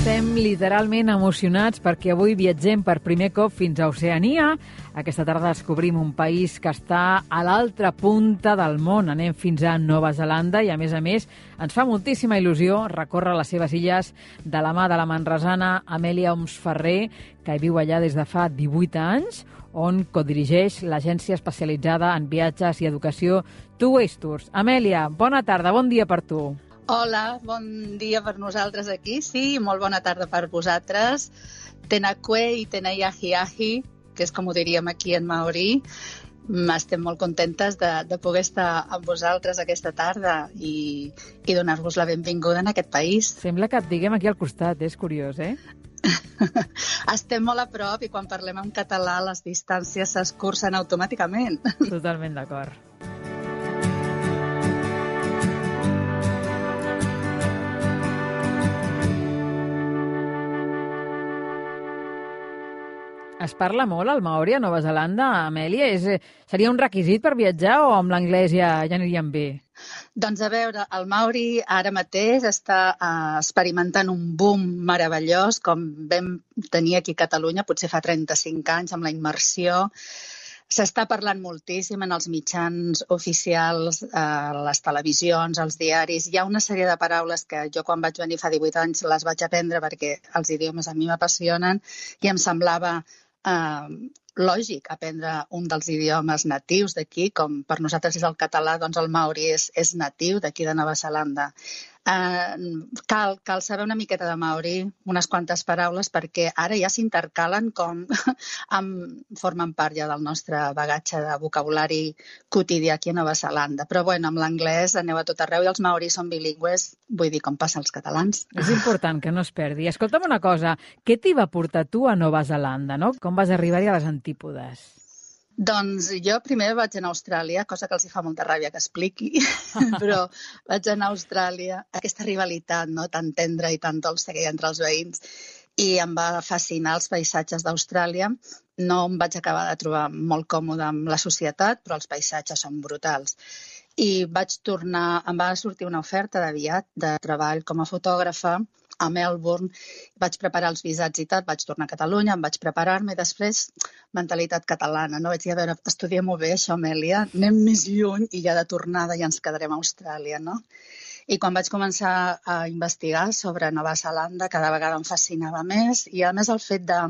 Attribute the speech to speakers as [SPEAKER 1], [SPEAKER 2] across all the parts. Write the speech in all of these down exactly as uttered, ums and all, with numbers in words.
[SPEAKER 1] Estem literalment emocionats perquè avui viatgem per primer cop fins a Oceania. Aquesta tarda descobrim un país que està a l'altra punta del món. Anem fins a Nova Zelanda i, a més a més, ens fa moltíssima il·lusió recórrer les seves illes de la mà de la manresana Amèlia Oms Ferrer, que viu allà des de fa divuit anys, on codirigeix l'agència especialitzada en viatges i educació Two Ways Tours. Amèlia, bona tarda, bon dia per tu.
[SPEAKER 2] Hola, bon dia per nosaltres aquí, sí, molt bona tarda per vosaltres. Tēnā koe i tēnā yahi yahi, que és com ho diríem aquí en maori. Estem molt contentes de, de poder estar amb vosaltres aquesta tarda i, i donar-vos la benvinguda en aquest país.
[SPEAKER 1] Sembla que et diguem aquí al costat, és curiós, eh?
[SPEAKER 2] Estem molt a prop i quan parlem en català les distàncies s'escurcen automàticament.
[SPEAKER 1] Totalment d'acord. Es parla molt el maori a Nova Zelanda, Amèlia? És, seria un requisit per viatjar o amb l'anglès ja, ja aniríem bé?
[SPEAKER 2] Doncs a veure, el maori ara mateix està uh, experimentant un boom meravellós, com vam tenir aquí a Catalunya potser fa trenta-cinc anys amb la immersió. S'està parlant moltíssim en els mitjans oficials, a les televisions, als diaris. Hi ha una sèrie de paraules que jo quan vaig venir fa divuit anys les vaig aprendre perquè els idiomes a mi m'apassionen i em semblava eh, lògic aprendre un dels idiomes natius d'aquí, com per nosaltres és el català, doncs el maori és, és natiu d'aquí de Nova Zelanda. Uh, cal, cal saber una miqueta de maori, unes quantes paraules, perquè ara ja s'intercalen com amb, formen part ja del nostre bagatge de vocabulari quotidià aquí a Nova Zelanda. Però bueno, amb l'anglès aneu a tot arreu i els maoris són bilingües, vull dir, com passa als catalans.
[SPEAKER 1] És important que no es perdi. Escolta'm una cosa, què t'hi va portar tu a Nova Zelanda, no? Com vas arribar-hi a les antípodes?
[SPEAKER 2] Doncs jo primer vaig anar a Austràlia, cosa que els hi fa molta ràbia que expliqui, però vaig anar a Austràlia, aquesta rivalitat no, tan tendra i tan dolça que hi ha entre els veïns, i em va fascinar els paisatges d'Austràlia. No em vaig acabar de trobar molt còmode amb la societat, però els paisatges són brutals. I vaig tornar, em va sortir una oferta de viat, de treball com a fotògrafa, a Melbourne, vaig preparar els visats i tal, vaig tornar a Catalunya, em vaig preparar-me i després mentalitat catalana, no? Vaig dir, a veure, estudiem-ho bé, això, Amèlia, anem més lluny i ja de tornada ja ens quedarem a Austràlia, no? I quan vaig començar a investigar sobre Nova Zelanda, cada vegada em fascinava més i a més el fet de...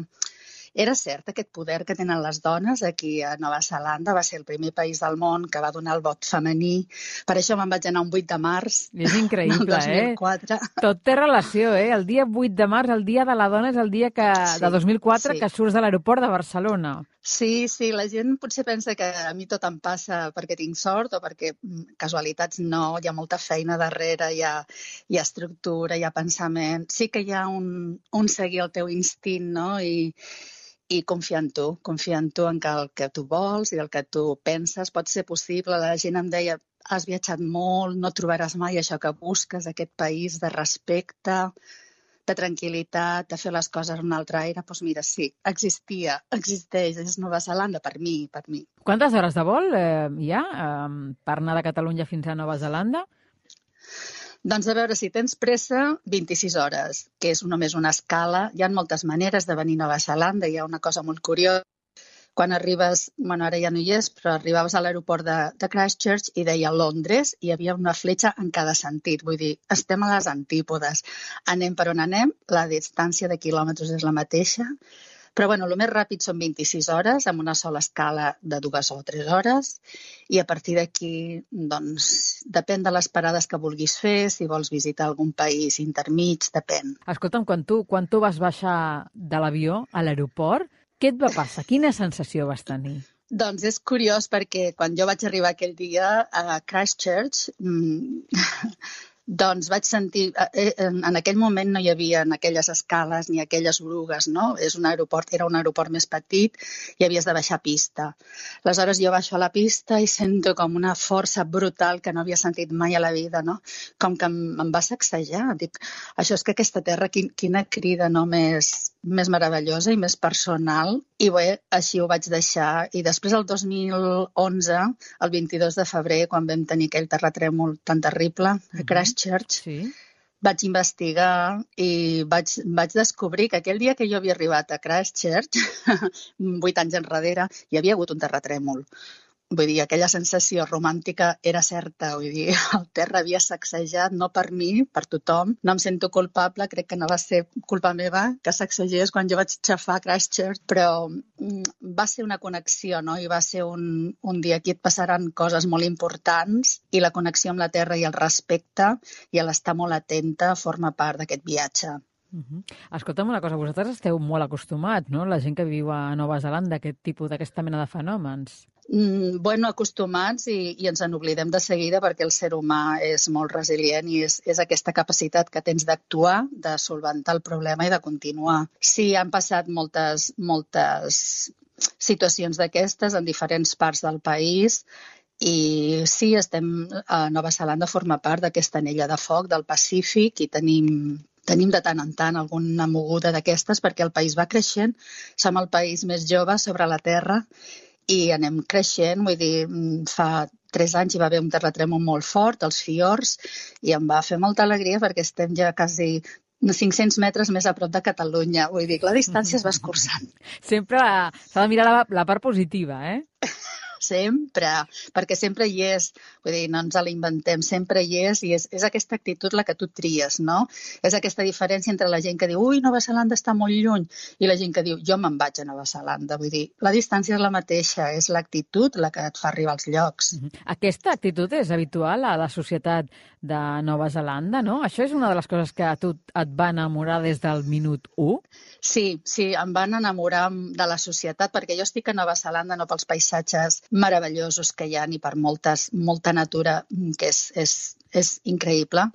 [SPEAKER 2] Era cert, aquest poder que tenen les dones aquí a Nova Zelanda. Va ser el primer país del món que va donar el vot femení. Per això me'n vaig anar un vuit de març.
[SPEAKER 1] És increïble,
[SPEAKER 2] del dos mil quatre.
[SPEAKER 1] Eh? Tot té relació, eh? El dia vuit de març, el dia de la dona, és el dia que, sí, de dos mil quatre sí, que surts de l'aeroport de Barcelona.
[SPEAKER 2] Sí, sí, la gent potser pensa que a mi tot em passa perquè tinc sort o perquè casualitats no, hi ha molta feina darrere, hi ha, hi ha estructura, hi ha pensament. Sí que hi ha un, un seguir el teu instint, no? I I confiar en tu, confiar en tu en que el que tu vols i el que tu penses pot ser possible. La gent em deia, has viatjat molt, no trobaràs mai això que busques, aquest país de respecte, de tranquil·litat, de fer les coses en un altre aire. Doncs mira, sí, existia, existeix, és Nova Zelanda per mi, per mi.
[SPEAKER 1] Quantes hores de vol eh, hi ha eh, per anar de Catalunya fins a Nova Zelanda?
[SPEAKER 2] Doncs a veure, si tens pressa, vint-i-sis hores, que és només una escala. Hi ha moltes maneres de venir a Nova Zelanda. Hi ha una cosa molt curiosa. Quan arribes, bueno, ara ja no hi és, però arribaves a l'aeroport de, de Christchurch i deia Londres i hi havia una fletxa en cada sentit. Vull dir, estem a les antípodes. Anem per on anem, la distància de quilòmetres és la mateixa. Però bueno, el més ràpid són vint-i-sis hores, amb una sola escala de dues o tres hores, i a partir d'aquí, doncs, depèn de les parades que vulguis fer, si vols visitar algun país intermig, depèn.
[SPEAKER 1] Escolta'm, quan tu, quan tu vas baixar de l'avió a l'aeroport, què et va passar? Quina sensació vas tenir?
[SPEAKER 2] Doncs és curiós perquè quan jo vaig arribar aquell dia a Christchurch, mmm, doncs vaig sentir, eh, en aquell moment no hi havia en aquelles escales ni aquelles orugues, no? És un aeroport, era un aeroport més petit i havies de baixar pista. Aleshores jo baixo a la pista i sento com una força brutal que no havia sentit mai a la vida, no? Com que em, em va sacsejar. Dic, això és que aquesta terra, quin, quina crida, no? Més, més meravellosa i més personal. I bé, així ho vaig deixar. I després, el dos mil onze, el vint-i-dos de febrer, quan vam tenir aquell terratrèmol tan terrible a Christchurch,
[SPEAKER 1] sí,
[SPEAKER 2] vaig investigar i vaig, vaig descobrir que aquell dia que jo havia arribat a Christchurch, vuit anys enrere, hi havia hagut un terratrèmol. Vull dir, aquella sensació romàntica era certa, vull dir, el terra havia sacsejat, no per mi, per tothom. No em sento culpable, crec que no va ser culpa meva que sacsegés quan jo vaig xafar Christchurch, però va ser una connexió, no? I va ser un, un dia aquí et passaran coses molt importants i la connexió amb la terra i el respecte i l'estar molt atenta forma part d'aquest viatge.
[SPEAKER 1] Uh-huh. Escolta'm una cosa, vosaltres esteu molt acostumats, no? La gent que viu a Nova Zelanda, a aquest tipus, d'aquesta mena de fenòmens.
[SPEAKER 2] Mm, bueno, acostumats i, i ens en oblidem de seguida perquè el ser humà és molt resilient i és, és aquesta capacitat que tens d'actuar, de solventar el problema i de continuar. Sí, han passat moltes, moltes situacions d'aquestes en diferents parts del país i sí, estem a Nova Zelanda, forma part d'aquesta anella de foc del Pacífic i tenim... Tenim de tant en tant alguna moguda d'aquestes perquè el país va creixent, som el país més jove sobre la Terra i anem creixent, vull dir, fa tres anys hi va haver un terratrèmol molt fort, els fiords, i em va fer molta alegria perquè estem ja quasi cinc-cents metres més a prop de Catalunya, vull dir que la distància es va escurçant.
[SPEAKER 1] Sempre s'ha de mirar la, la part positiva, eh?
[SPEAKER 2] Sempre, perquè sempre hi és, vull dir, no ens l'inventem, sempre hi és i és, és aquesta actitud la que tu tries, no? És aquesta diferència entre la gent que diu ui, Nova Zelanda està molt lluny i la gent que diu jo me'n vaig a Nova Zelanda, vull dir, la distància és la mateixa, és l'actitud la que et fa arribar als llocs.
[SPEAKER 1] Aquesta actitud és habitual a la societat de Nova Zelanda, no? Això és una de les coses que a tu et va enamorar des del minut u?
[SPEAKER 2] Sí, sí, em van enamorar de la societat perquè jo estic a Nova Zelanda no pels paisatges meravellosos que hi ha ni per moltes, molta natura que és, és, és increïble,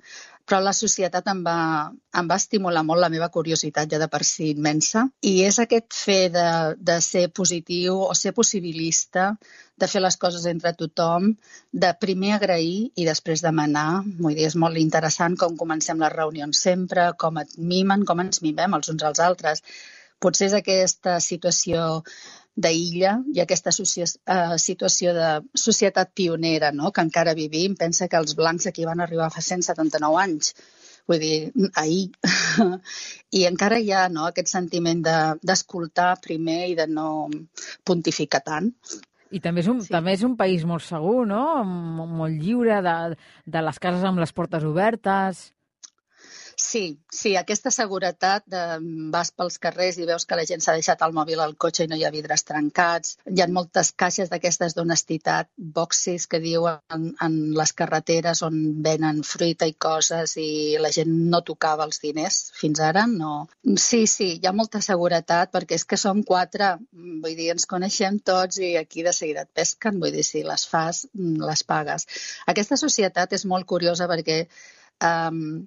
[SPEAKER 2] però la societat em va, em va estimular molt la meva curiositat ja de per si immensa i és aquest fet de, de ser positiu o ser possibilista, de fer les coses entre tothom, de primer agrair i després demanar. Vull dir, és molt interessant com comencem les reunions sempre, com et mimen, com ens mimem els uns als altres. Potser és aquesta situació d'illa i aquesta situació de societat pionera, no?, que encara vivim. Pensa que els blancs aquí van arribar fa cent setanta-nou anys, vull dir, ahir. I encara hi ha, no?, aquest sentiment de, d'escoltar primer i de no pontificar tant.
[SPEAKER 1] I també és un, sí. també és un país molt segur, no?, molt lliure, de, de les cases amb les portes obertes.
[SPEAKER 2] Sí, sí, aquesta seguretat de vas pels carrers i veus que la gent s'ha deixat el mòbil al cotxe i no hi ha vidres trencats. Hi ha moltes caixes d'aquestes d'honestitat, boxes que diuen en, en les carreteres on venen fruita i coses i la gent no tocava els diners fins ara. No. Sí, sí, hi ha molta seguretat perquè és que som quatre, vull dir, ens coneixem tots i aquí de seguida et pesquen, vull dir, si les fas, les pagues. Aquesta societat és molt curiosa perquè Um,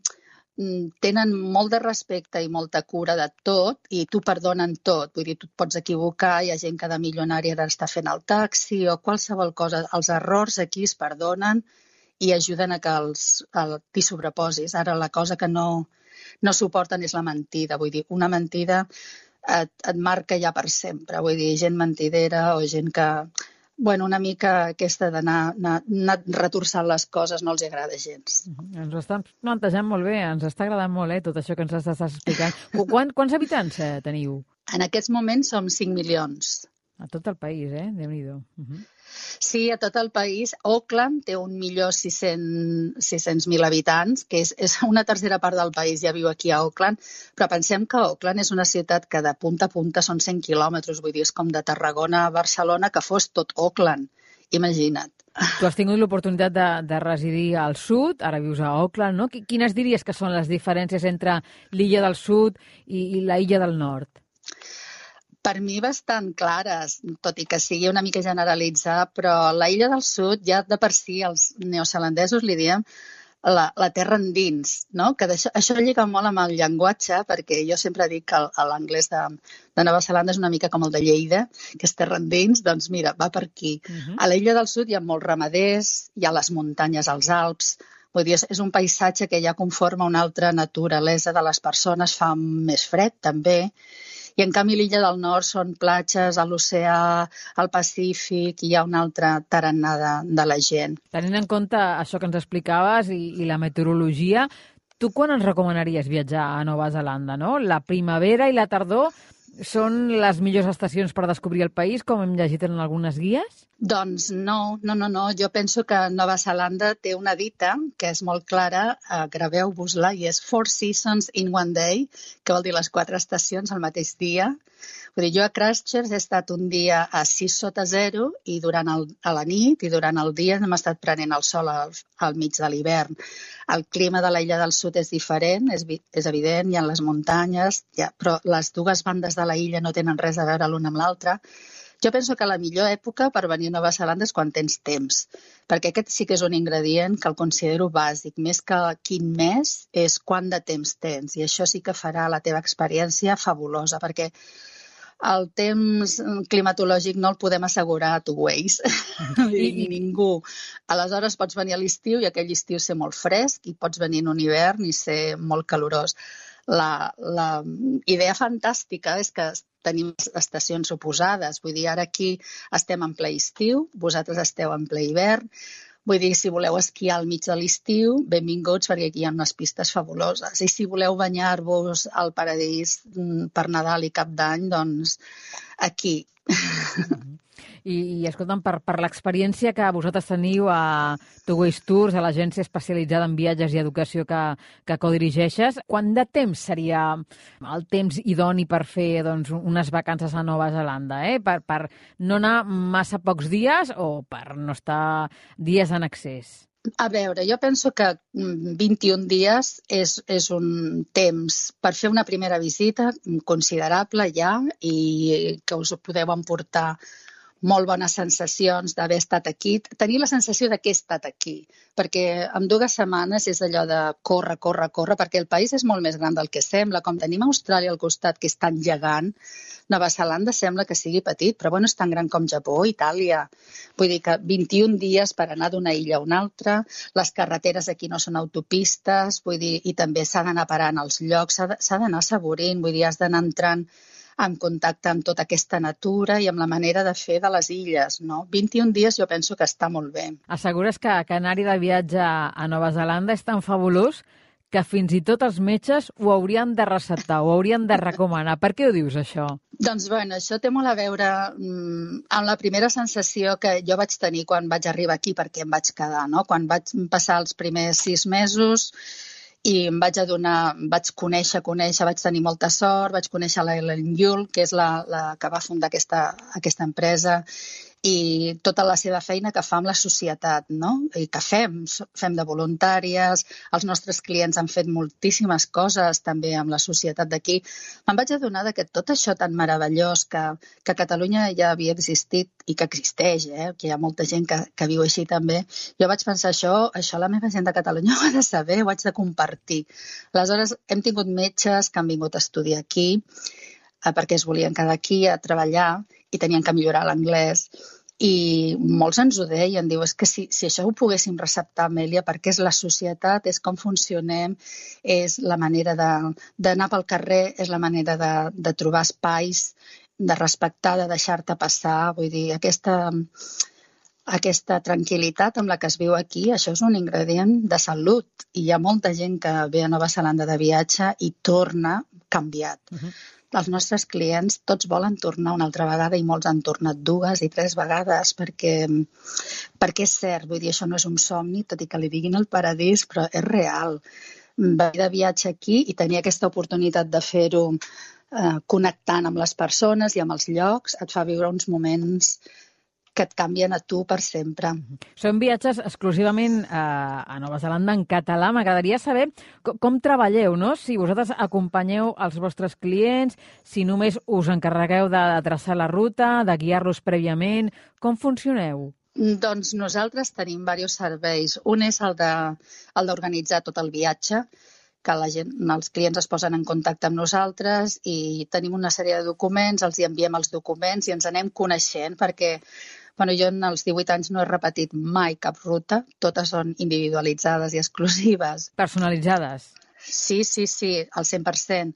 [SPEAKER 2] tenen molt de respecte i molta cura de tot i t'ho perdonen tot. Vull dir, tu et pots equivocar, hi ha gent que de milionària ara està fent el taxi o qualsevol cosa. Els errors aquí es perdonen i ajuden a que els, el, t'hi sobreposis. Ara la cosa que no, no suporten és la mentida. Vull dir, una mentida et, et marca ja per sempre. Vull dir, gent mentidera o gent que... Bueno, una mica aquesta d'anar anar, anar retorçant les coses no els agrada gens.
[SPEAKER 1] Uh-huh. Ens ho estan plantejant molt bé, ens està agradant molt, eh, tot això que ens estàs explicant. Quant, quants habitants eh, teniu?
[SPEAKER 2] En aquests moments som cinc milions.
[SPEAKER 1] A tot el país, eh? Déu-n'hi-do. Uh-huh.
[SPEAKER 2] Sí, a tot el país. Auckland té un milió sis-cents mil habitants, que és, és una tercera part del país, ja viu aquí a Auckland, però pensem que Auckland és una ciutat que de punta a punta són cent quilòmetres, vull dir, és com de Tarragona a Barcelona, que fos tot Auckland. Imagina't.
[SPEAKER 1] Tu has tingut l'oportunitat de, de residir al sud, ara vius a Auckland, no? Quines diries que són les diferències entre l'illa del sud i, i la illa del nord?
[SPEAKER 2] Per mi bastant clares, tot i que sigui una mica generalitzar, però la illa del sud ja de per si els neozelandesos li diem la, la terra endins, no? Que això, això lliga molt amb el llenguatge, perquè jo sempre dic que l'anglès de, de Nova Zelanda és una mica com el de Lleida, que és terra endins, doncs mira, va per aquí. Uh-huh. A la illa del sud hi ha molts ramaders, hi ha les muntanyes als Alps, vull dir, és un paisatge que ja conforma una altra naturalesa de les persones, fa més fred també, i en canvi l'illa del nord són platges, a l'oceà, al Pacífic, i hi ha una altra tarannà de, de la gent.
[SPEAKER 1] Tenint en compte això que ens explicaves i, i la meteorologia, Tu quan ens recomanaries viatjar a Nova Zelanda, no? La primavera i la tardor són les millors estacions per descobrir el país, com hem llegit en algunes guies?
[SPEAKER 2] Doncs no, no, no, no. Jo penso que Nova Zelanda té una dita que és molt clara, eh, graveu-vos-la, i és Four Seasons in one day, que vol dir les quatre estacions al mateix dia. Vull dir, jo a Christchurch he estat un dia a sis sota zero i durant el, a la nit i durant el dia hem estat prenent el sol al, al mig de l'hivern. El clima de l'illa del sud és diferent, és, és evident, hi ha les muntanyes, ja, però les dues bandes de la illa no tenen res a veure l'una amb l'altra. Jo penso que la millor època per venir a Nova Zelanda és quan tens temps, perquè aquest sí que és un ingredient que el considero bàsic. Més que quin mes és quant de temps tens, i això sí que farà la teva experiència fabulosa, perquè el temps climatològic no el podem assegurar a two ways, I, ni ningú. Aleshores pots venir a l'estiu i aquell estiu ser molt fresc, i pots venir en un hivern i ser molt calorós. La, la idea fantàstica és que tenim estacions oposades. Vull dir, ara aquí estem en ple estiu, vosaltres esteu en ple hivern. Vull dir, si voleu esquiar al mig de l'estiu, benvinguts, perquè aquí hi ha unes pistes fabuloses. I si voleu banyar-vos al paradís per Nadal i Cap d'Any, doncs aquí.
[SPEAKER 1] I, i escolta'm, per, per l'experiència que vosaltres teniu a Two Ways Tours, a l'agència especialitzada en viatges i educació que, que codirigeixes, quant de temps seria el temps idoni per fer doncs, unes vacances a Nova Zelanda? Eh? Per, per no anar massa pocs dies o per no estar dies en excés?
[SPEAKER 2] A veure, jo penso que vint-i-un dies és, és un temps per fer una primera visita considerable ja, i que us podeu emportar molt bones sensacions d'haver estat aquí, tenir la sensació de que he estat aquí, perquè en dues setmanes és allò de córrer, córrer, córrer, perquè el país és molt més gran del que sembla. Com tenim Austràlia al costat, que és tan gegant, Nova Zelanda sembla que sigui petit, però bueno, és tan gran com Japó, Itàlia. Vull dir que vint-i-un dies per anar d'una illa a una altra, les carreteres aquí no són autopistes, vull dir, i també s'ha d'anar parant als llocs, s'ha d'anar assaborint, vull dir, has d'anar entrant en contacte amb tota aquesta natura i amb la manera de fer de les illes, no? vint-i-un dies jo penso que està molt bé.
[SPEAKER 1] Assegures que, que anar-hi de viatge a Nova Zelanda és tan fabulós que fins i tot els metges ho haurien de receptar, ho haurien de recomanar. Per què ho dius, això?
[SPEAKER 2] Doncs, bueno, això té molt a veure mm, amb la primera sensació que jo vaig tenir quan vaig arribar aquí, perquè em vaig quedar, no? Quan vaig passar els primers sis mesos i em vaig adonar, vaig conèixer, conèixer, vaig tenir molta sort, vaig conèixer l'Ellen Yule, que és la, la que va fundar aquesta, aquesta empresa, i tota la seva feina que fa amb la societat, no? I que fem, fem de voluntàries, els nostres clients han fet moltíssimes coses també amb la societat d'aquí. Me'n vaig adonar que tot això tan meravellós que, que a Catalunya ja havia existit i que existeix, eh? Que hi ha molta gent que, que viu així també, jo vaig pensar, això, això la meva gent de Catalunya ho ha de saber, ho haig de compartir. Aleshores, hem tingut metges que han vingut a estudiar aquí, eh, perquè es volien quedar aquí a treballar i tenien que millorar l'anglès. I molts ens ho deien, diu, és que si, si això ho poguéssim receptar, Amèlia, perquè és la societat, és com funcionem, és la manera d'anar pel carrer, és la manera de, de trobar espais, de respectar, de deixar-te passar, vull dir, aquesta, aquesta tranquil·litat amb la que es viu aquí, això és un ingredient de salut, i hi ha molta gent que ve a Nova Zelanda de viatge i torna canviat. Uh-huh. Els nostres clients tots volen tornar una altra vegada i molts han tornat dues i tres vegades perquè, perquè és cert, vull dir, això no és un somni, tot i que li diguin el paradís, però és real. Venir de viatge aquí i tenir aquesta oportunitat de fer-ho eh, connectant amb les persones i amb els llocs et fa viure uns moments que et canvien a tu per sempre.
[SPEAKER 1] Són viatges exclusivament a, a Nova Zelanda en català. M'agradaria saber com, com treballeu, no? Si vosaltres acompanyeu els vostres clients, si només us encarregueu de traçar la ruta, de guiar-los prèviament. Com funcioneu?
[SPEAKER 2] Doncs nosaltres tenim diversos serveis. Un és el de, el d'organitzar tot el viatge, que la gent, els clients es posen en contacte amb nosaltres i tenim una sèrie de documents, els hi enviem els documents i ens anem coneixent perquè bueno, jo en els divuit anys no he repetit mai cap ruta, totes són individualitzades i exclusives.
[SPEAKER 1] Personalitzades?
[SPEAKER 2] Sí, sí, sí, al cent per cent.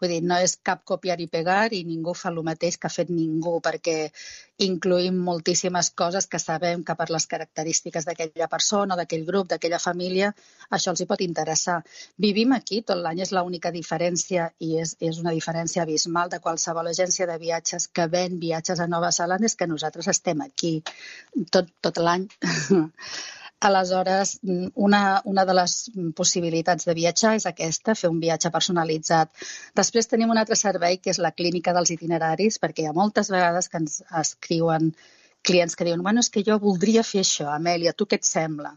[SPEAKER 2] Vull dir, no és cap copiar i pegar i ningú fa el mateix que ha fet ningú, perquè incluïm moltíssimes coses que sabem que per les característiques d'aquella persona, d'aquell grup, d'aquella família, això els hi pot interessar. Vivim aquí tot l'any, és l'única diferència i és, és una diferència abismal de qualsevol agència de viatges que ven viatges a Nova Zelanda, és que nosaltres estem aquí tot, tot l'any. Aleshores, una, una de les possibilitats de viatjar és aquesta, fer un viatge personalitzat. Després tenim un altre servei, que és la clínica dels itineraris, perquè hi ha moltes vegades que ens escriuen clients que diuen bueno, és que jo voldria fer això, Amèlia, tu què et sembla?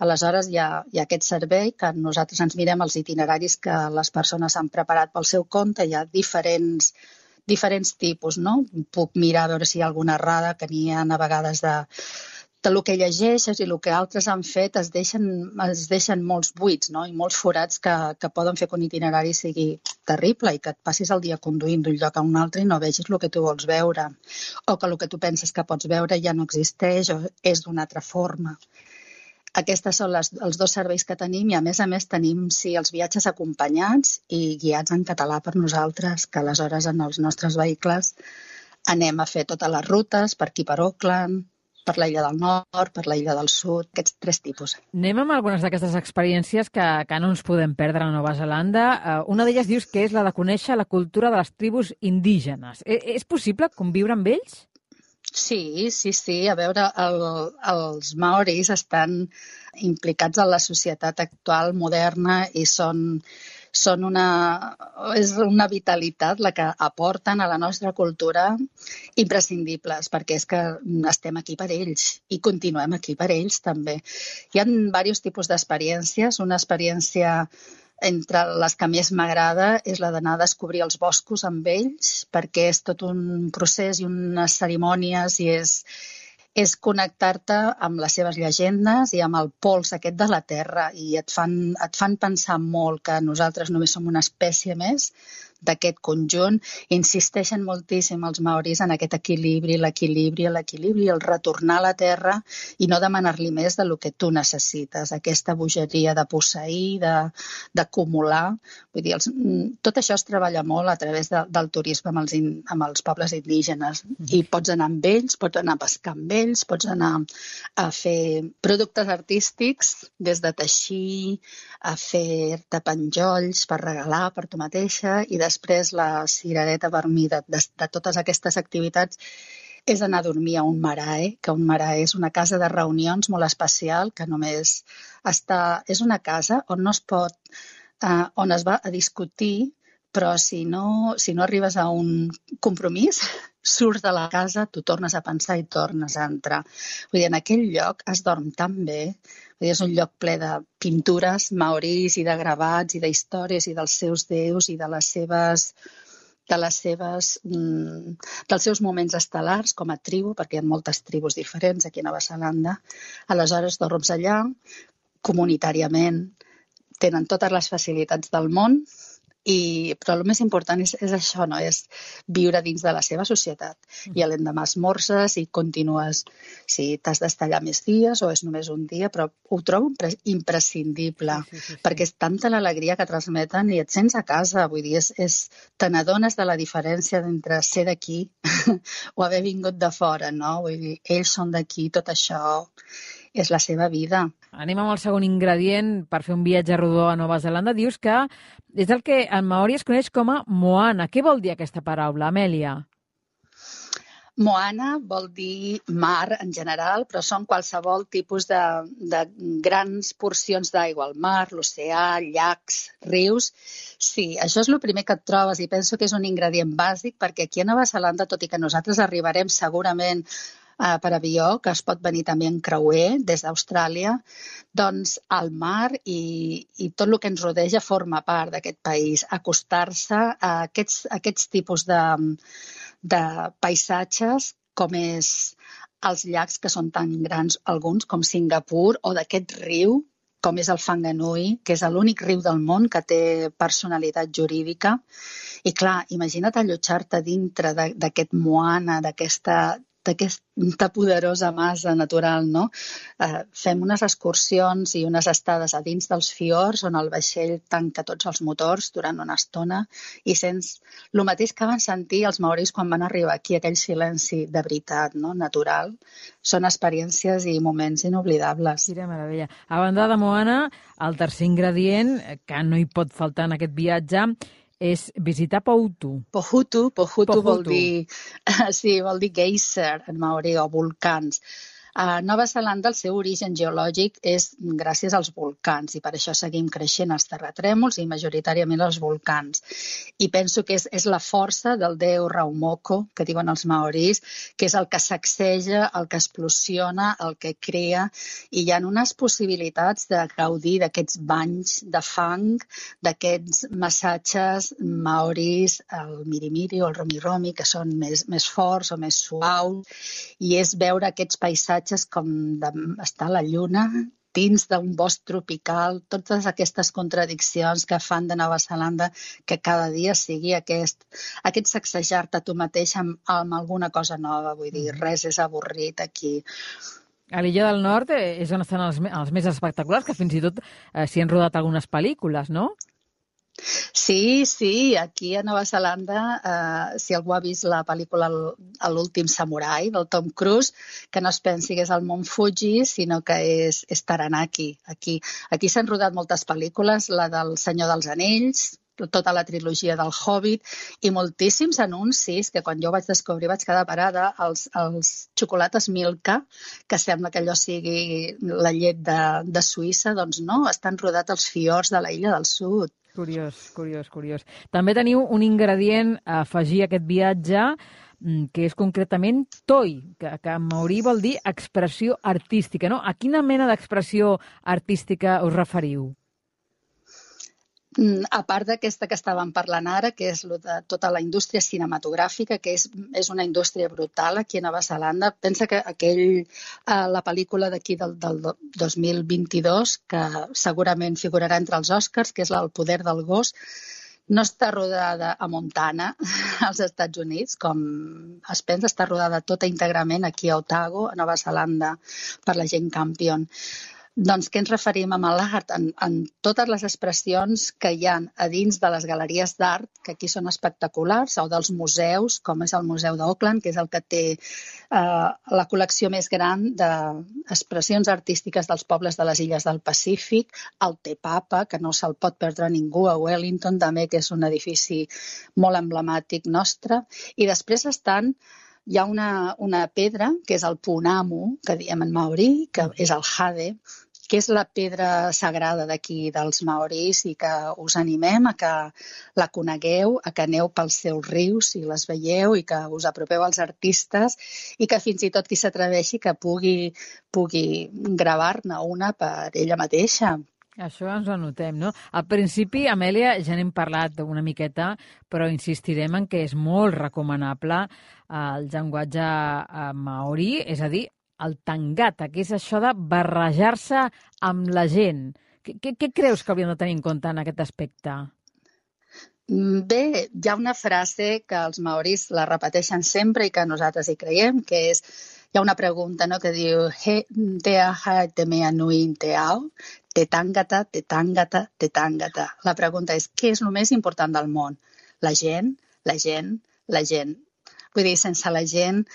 [SPEAKER 2] Aleshores, hi ha, hi ha aquest servei que nosaltres ens mirem els itineraris que les persones han preparat pel seu compte, hi ha diferents, diferents tipus, no? Puc mirar a veure si hi ha alguna errada, que n'hi ha a vegades de... del que llegeixes i el que altres han fet es deixen, es deixen molts buits, no? I molts forats que, que poden fer que un itinerari sigui terrible i que et passis el dia conduint d'un lloc a un altre i no vegis el que tu vols veure, o que el que tu penses que pots veure ja no existeix o és d'una altra forma. Aquests són les, els dos serveis que tenim i a més a més tenim sí, els viatges acompanyats i guiats en català per nosaltres, que aleshores en els nostres vehicles anem a fer totes les rutes per aquí per Auckland, per la Illa del Nord, per la Illa del Sud, aquests tres tipus.
[SPEAKER 1] Anem amb algunes d'aquestes experiències que, que no ens podem perdre a Nova Zelanda. Uh, una d'elles dius que és la de conèixer la cultura de les tribus indígenes. E és possible conviure amb ells?
[SPEAKER 2] Sí, sí, sí. A veure, el, els maoris estan implicats en la societat actual moderna i són... són una, és una vitalitat la que aporten a la nostra cultura imprescindibles, perquè és que estem aquí per ells i continuem aquí per ells també. Hi ha diversos tipus d'experiències. Una experiència entre les que més m'agrada és la d'anar a descobrir els boscos amb ells, perquè és tot un procés i unes cerimònies i és... és connectar-te amb les seves llegendes i amb el pols aquest de la terra i et fan, et fan pensar molt que nosaltres només som una espècie més d'aquest conjunt. Insisteixen moltíssim els maoris en aquest equilibri, l'equilibri, l'equilibri, el retornar a la terra i no demanar-li més del que tu necessites. Aquesta bogeria de posseir, d'acumular. Vull dir, els, tot això es treballa molt a través de, del turisme amb els, in, amb els pobles indígenes. I pots anar amb ells, pots anar a pescar amb ells, pots anar a fer productes artístics, des de teixir, a fer-te penjolls per regalar per tu mateixa i després la cirereta per mi de, de, de totes aquestes activitats és anar a dormir a un marae, que un marae és una casa de reunions molt especial que només està... És una casa on no es pot... Eh, on es va a discutir, però si no, si no arribes a un compromís, surts de la casa, tu tornes a pensar i tornes a entrar. Vull dir, en aquell lloc es dorm tan bé. Vull dir, és un lloc ple de pintures maoris i de gravats i d'històries i dels seus déus i de les seves... de les seves, mm, dels seus moments estel·lars com a tribu, perquè hi ha moltes tribus diferents aquí a Nova Zelanda. Aleshores dorms allà, comunitàriament, tenen totes les facilitats del món, i, però el més important és, és això, no? És viure dins de la seva societat. I a l'endemà esmorzes i continues, si t'has d'estar allà més dies o és només un dia, però ho trobo imprescindible, sí, sí, sí, sí. Perquè és tanta l'alegria que transmeten i et sents a casa, vull dir, és, és, te n'adones de la diferència entre ser d'aquí o haver vingut de fora, no? Vull dir, ells són d'aquí, tot això és la seva vida.
[SPEAKER 1] Anem amb el segon ingredient per fer un viatge rodó a Nova Zelanda. Dius que és el que en maori es coneix com a moana. Què vol dir aquesta paraula, Amèlia?
[SPEAKER 2] Moana vol dir mar en general, però són qualsevol tipus de, de grans porcions d'aigua, el mar, l'oceà, llacs, rius. Sí, això és el primer que et trobes i penso que és un ingredient bàsic perquè aquí a Nova Zelanda, tot i que nosaltres arribarem segurament Uh, per avió, que es pot venir també en creuer des d'Austràlia, doncs el mar i, i tot el que ens rodeja forma part d'aquest país. Acostar-se a aquests, a aquests tipus de, de paisatges com és els llacs que són tan grans, alguns com Singapur, o d'aquest riu com és el Whanganui, que és l'únic riu del món que té personalitat jurídica. I clar, imagina't allotjar-te dintre d'aquest moana, d'aquesta d'aquesta poderosa massa natural, no? Eh, fem unes excursions i unes estades a dins dels fiords on el vaixell tanca tots els motors durant una estona i sents el mateix que van sentir els maoris quan van arribar aquí, aquell silenci de veritat, no? Natural. Són experiències i moments inoblidables.
[SPEAKER 1] Quina meravella. A banda de Moana, el tercer ingredient que no hi pot faltar en aquest viatge és visitar Pohutu.
[SPEAKER 2] Pohutu, Pohutu,
[SPEAKER 1] Pohutu.
[SPEAKER 2] vol dir, sí, vol dir geyser en maori o volcans. A Nova Zelanda el seu origen geològic és gràcies als volcans i per això seguim creixent els terratrèmols i majoritàriament els volcans. I penso que és, és la força del déu Raumoko, que diuen els maoris, que és el que sacseja, el que explosiona, el que crea, i hi ha unes possibilitats de gaudir d'aquests banys de fang, d'aquests massatges maoris, el mirimiri o el romi-romi, que són més, més forts o més suaus, i és veure aquests paisatges com d'estar a la lluna, dins d'un bosc tropical, totes aquestes contradiccions que fan de Nova Zelanda que cada dia sigui aquest, aquest sacsejar-te a tu mateix amb, amb alguna cosa nova, vull dir, res és avorrit aquí.
[SPEAKER 1] A l'Illa del Nord és on estan els, els més espectaculars, que fins i tot eh, s'hi han rodat algunes pel·lícules, no?
[SPEAKER 2] Sí, sí, aquí a Nova Zelanda, eh, si algú ha vist la pel·lícula L'últim samurai del Tom Cruise, que no es pensi que és el Mont Fuji, sinó que és, és Taranaki. Aquí, aquí s'han rodat moltes pel·lícules, la del Senyor dels Anells, tota la trilogia del Hobbit i moltíssims anuncis que quan jo vaig descobrir vaig quedar parada, els, els xocolates Milka, que sembla que allò sigui la llet de, de Suïssa, doncs no, estan rodats als fiords de la Illa del Sud.
[SPEAKER 1] Curiós, curiós, curiós. També teniu un ingredient a afegir a aquest viatge que és concretament toi, que, que en maori vol dir expressió artística, no? A quina mena d'expressió artística us referiu?
[SPEAKER 2] A part d'aquesta que estàvem parlant ara, que és de tota la indústria cinematogràfica, que és, és una indústria brutal aquí a Nova Zelanda, pensa que aquell, eh, la pel·lícula d'aquí del, del dos mil vint-i-dos, que segurament figurarà entre els Oscars, que és El poder del gos, no està rodada a Montana, als Estats Units, com es pensa, està rodada tota íntegrament aquí a Otago, a Nova Zelanda, per la gent Campion. Doncs què ens referim amb l'art? En, en totes les expressions que hi ha a dins de les galeries d'art, que aquí són espectaculars, o dels museus, com és el Museu d'Auckland, que és el que té eh, la col·lecció més gran d'expressions artístiques dels pobles de les illes del Pacífic, el Te Papa, que no se'l pot perdre ningú, a Wellington també, que és un edifici molt emblemàtic nostre, i després estan... Hi ha una, una pedra, que és el punamu, que diem en maori, que és el jade, que és la pedra sagrada d'aquí dels maoris i que us animem a que la conegueu, a que aneu pels seus rius i les veieu i que us apropeu als artistes i que fins i tot qui s'atreveixi que pugui, pugui gravar-ne una per ella mateixa.
[SPEAKER 1] Això ens ho anotem, no? Al principi, Amèlia, ja n'hem parlat una miqueta, però insistirem en que és molt recomanable el llenguatge maori, és a dir, el tangata, que és això de barrejar-se amb la gent. Què, què creus que hauríem de tenir en compte en aquest aspecte?
[SPEAKER 2] Bé, hi ha una frase que els maoris la repeteixen sempre i que nosaltres hi creiem, que és, hi ha una pregunta, no?, que diu he te aha te mea nui te ao, te tangata, te tangata, te tangata. La pregunta és, què és el més important del món? La gent, la gent, la gent. Vull dir, sense la gent,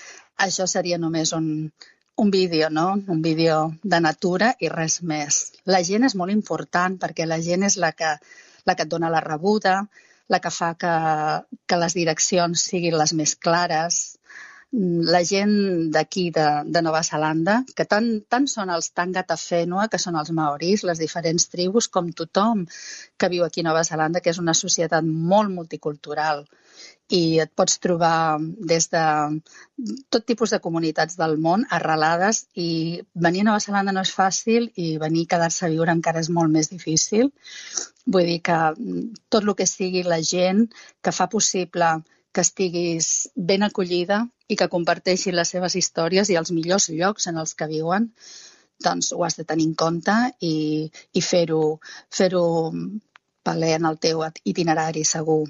[SPEAKER 2] això seria només un, un vídeo, no? Un vídeo de natura i res més. La gent és molt important perquè la gent és la que, la que et dona la rebuda, la que fa que, que les direccions siguin les més clares. La gent d'aquí, de, de Nova Zelanda, que tant, tant són els Tangata Whenua, que són els maoris, les diferents tribus, com tothom que viu aquí a Nova Zelanda, que és una societat molt multicultural. I et pots trobar des de tot tipus de comunitats del món arrelades i venir a Nova Zelanda no és fàcil i venir a quedar-se a viure encara és molt més difícil. Vull dir que tot el que sigui la gent que fa possible que estiguis ben acollida i que comparteixin les seves històries i els millors llocs en els que viuen, doncs ho has de tenir en compte i, i fer-ho fer-ho valer en el teu itinerari segur.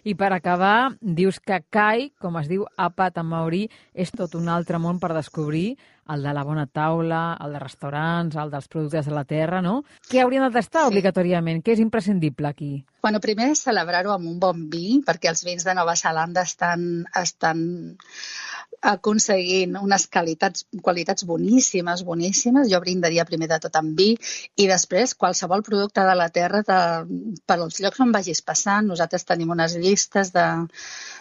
[SPEAKER 1] I per acabar, dius que Kai, com es diu àpat en maorí, és tot un altre món per descobrir, el de la bona taula, el de restaurants, el dels productes de la terra, no? Què haurien de tastar sí. obligatoriament? Què és imprescindible aquí?
[SPEAKER 2] Bueno, primer és celebrar-ho amb un bon vi, perquè els vins de Nova Zelanda estan, estan aconseguint unes qualitats, qualitats boníssimes, boníssimes. Jo brindaria primer de tot amb vi i després qualsevol producte de la terra de, per als llocs on vagis passant. Nosaltres tenim unes llistes de,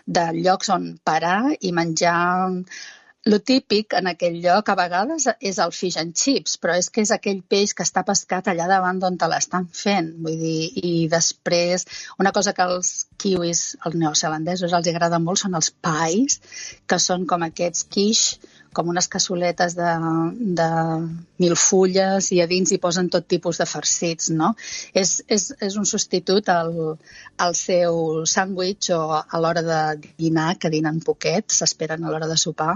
[SPEAKER 2] de llocs on parar i menjar. Lo típic en aquell lloc a vegades és el fish and chips, però és que és aquell peix que està pescat allà davant d'on te l'estan fent. Vull dir, i després, una cosa que els kiwis, els neozelandesos, els agrada molt són els pies, que són com aquests quiche, com unes cassoletes de, de mil fulles i a dins hi posen tot tipus de farcits, no? És, és, és un substitut al, al seu sàndwich o a l'hora de dinar, que dinen poquet, s'esperen a l'hora de sopar.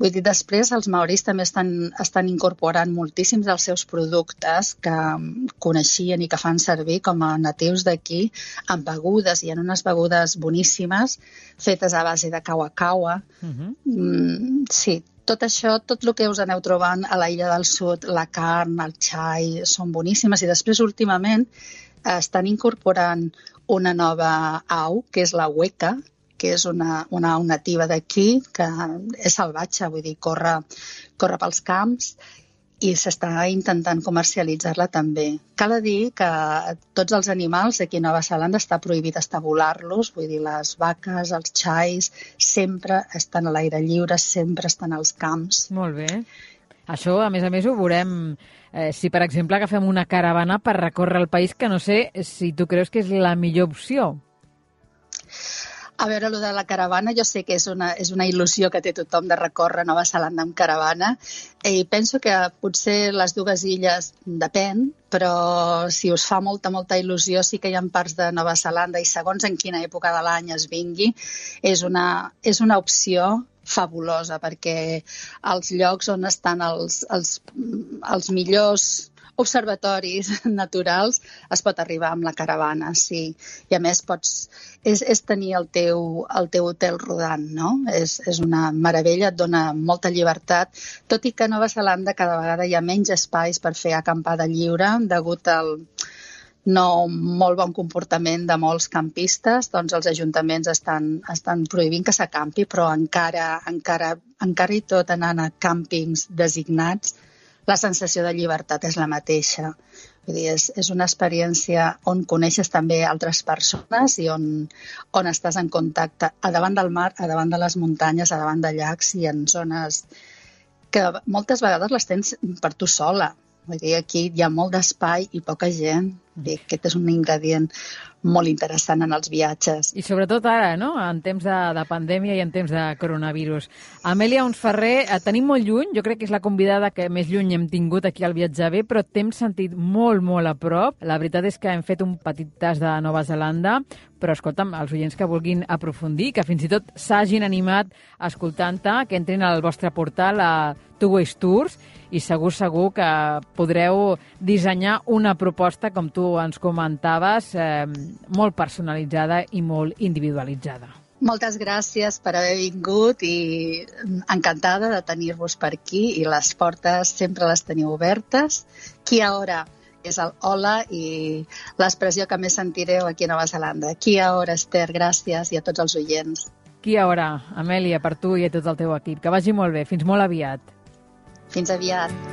[SPEAKER 2] Vull dir, després els maoris també estan, estan incorporant moltíssims dels seus productes que coneixien i que fan servir com a natius d'aquí en begudes, i en unes begudes boníssimes fetes a base de kawa-kawa. Uh-huh. Mm, sí, tot això, tot el que us aneu trobant a l'illa del sud, la carn, el xai, són boníssimes. I després, últimament, estan incorporant una nova au, que és la hueca, que és una, una au nativa d'aquí, que és salvatge, vull dir, corre, corre pels camps, i s'està intentant comercialitzar-la també. Cal dir que tots els animals aquí a Nova Zelanda està prohibit estabular-los, vull dir, les vaques, els xais, sempre estan a l'aire lliure, sempre estan als camps.
[SPEAKER 1] Molt bé. Això, a més a més, ho veurem eh, si, per exemple, agafem una caravana per recórrer el país, que no sé si tu creus que és la millor opció.
[SPEAKER 2] A veure, allò de la caravana, jo sé que és una, és una il·lusió que té tothom de recórrer Nova Zelanda amb caravana, i penso que potser les dues illes depèn, però si us fa molta, molta il·lusió, sí que hi ha parts de Nova Zelanda, i segons en quina època de l'any es vingui, és una, és una opció fabulosa, perquè els llocs on estan els, els, els millors observatoris naturals es pot arribar amb la caravana, sí. I a més pots, és, és tenir el teu, el teu hotel rodant, no? És, és una meravella, et dona molta llibertat, tot i que a Nova Zelanda cada vegada hi ha menys espais per fer acampada lliure, degut al no molt bon comportament de molts campistes, doncs els ajuntaments estan, estan prohibint que s'acampi, però encara, encara, encara i tot anant a càmpings designats, la sensació de llibertat és la mateixa. Vull dir, és, és una experiència on coneixes també altres persones i on, on estàs en contacte a davant del mar, a davant de les muntanyes, a davant de llacs i en zones que moltes vegades les tens per tu sola. Vull dir, aquí hi ha molt d'espai i poca gent. Vull dir, aquest és un ingredient molt interessant en els viatges.
[SPEAKER 1] I sobretot ara, no?, en temps de, de pandèmia i en temps de coronavirus. Amèlia Oms-Ferrer, et tenim molt lluny, jo crec que és la convidada que més lluny hem tingut aquí al Viatjar Bé, però t'hem sentit molt, molt a prop. La veritat és que hem fet un petit tas de Nova Zelanda, però escolta'm, els oients que vulguin aprofundir, que fins i tot s'hagin animat escoltant-te, que entrin al vostre portal a Two Ways Tours, i segur, segur que podreu dissenyar una proposta, com tu ens comentaves, eh, molt personalitzada i molt individualitzada.
[SPEAKER 2] Moltes gràcies per haver vingut i encantada de tenir-vos per aquí, i les portes sempre les teniu obertes. Kia ora és el hola i l'expressió que més sentireu aquí a Nova Zelanda. Kia ora, Esther, gràcies, i a tots els oients.
[SPEAKER 1] Kia ora, Amèlia, per tu i a tot el teu equip. Que vagi molt bé. Fins molt aviat.
[SPEAKER 2] Fins aviat.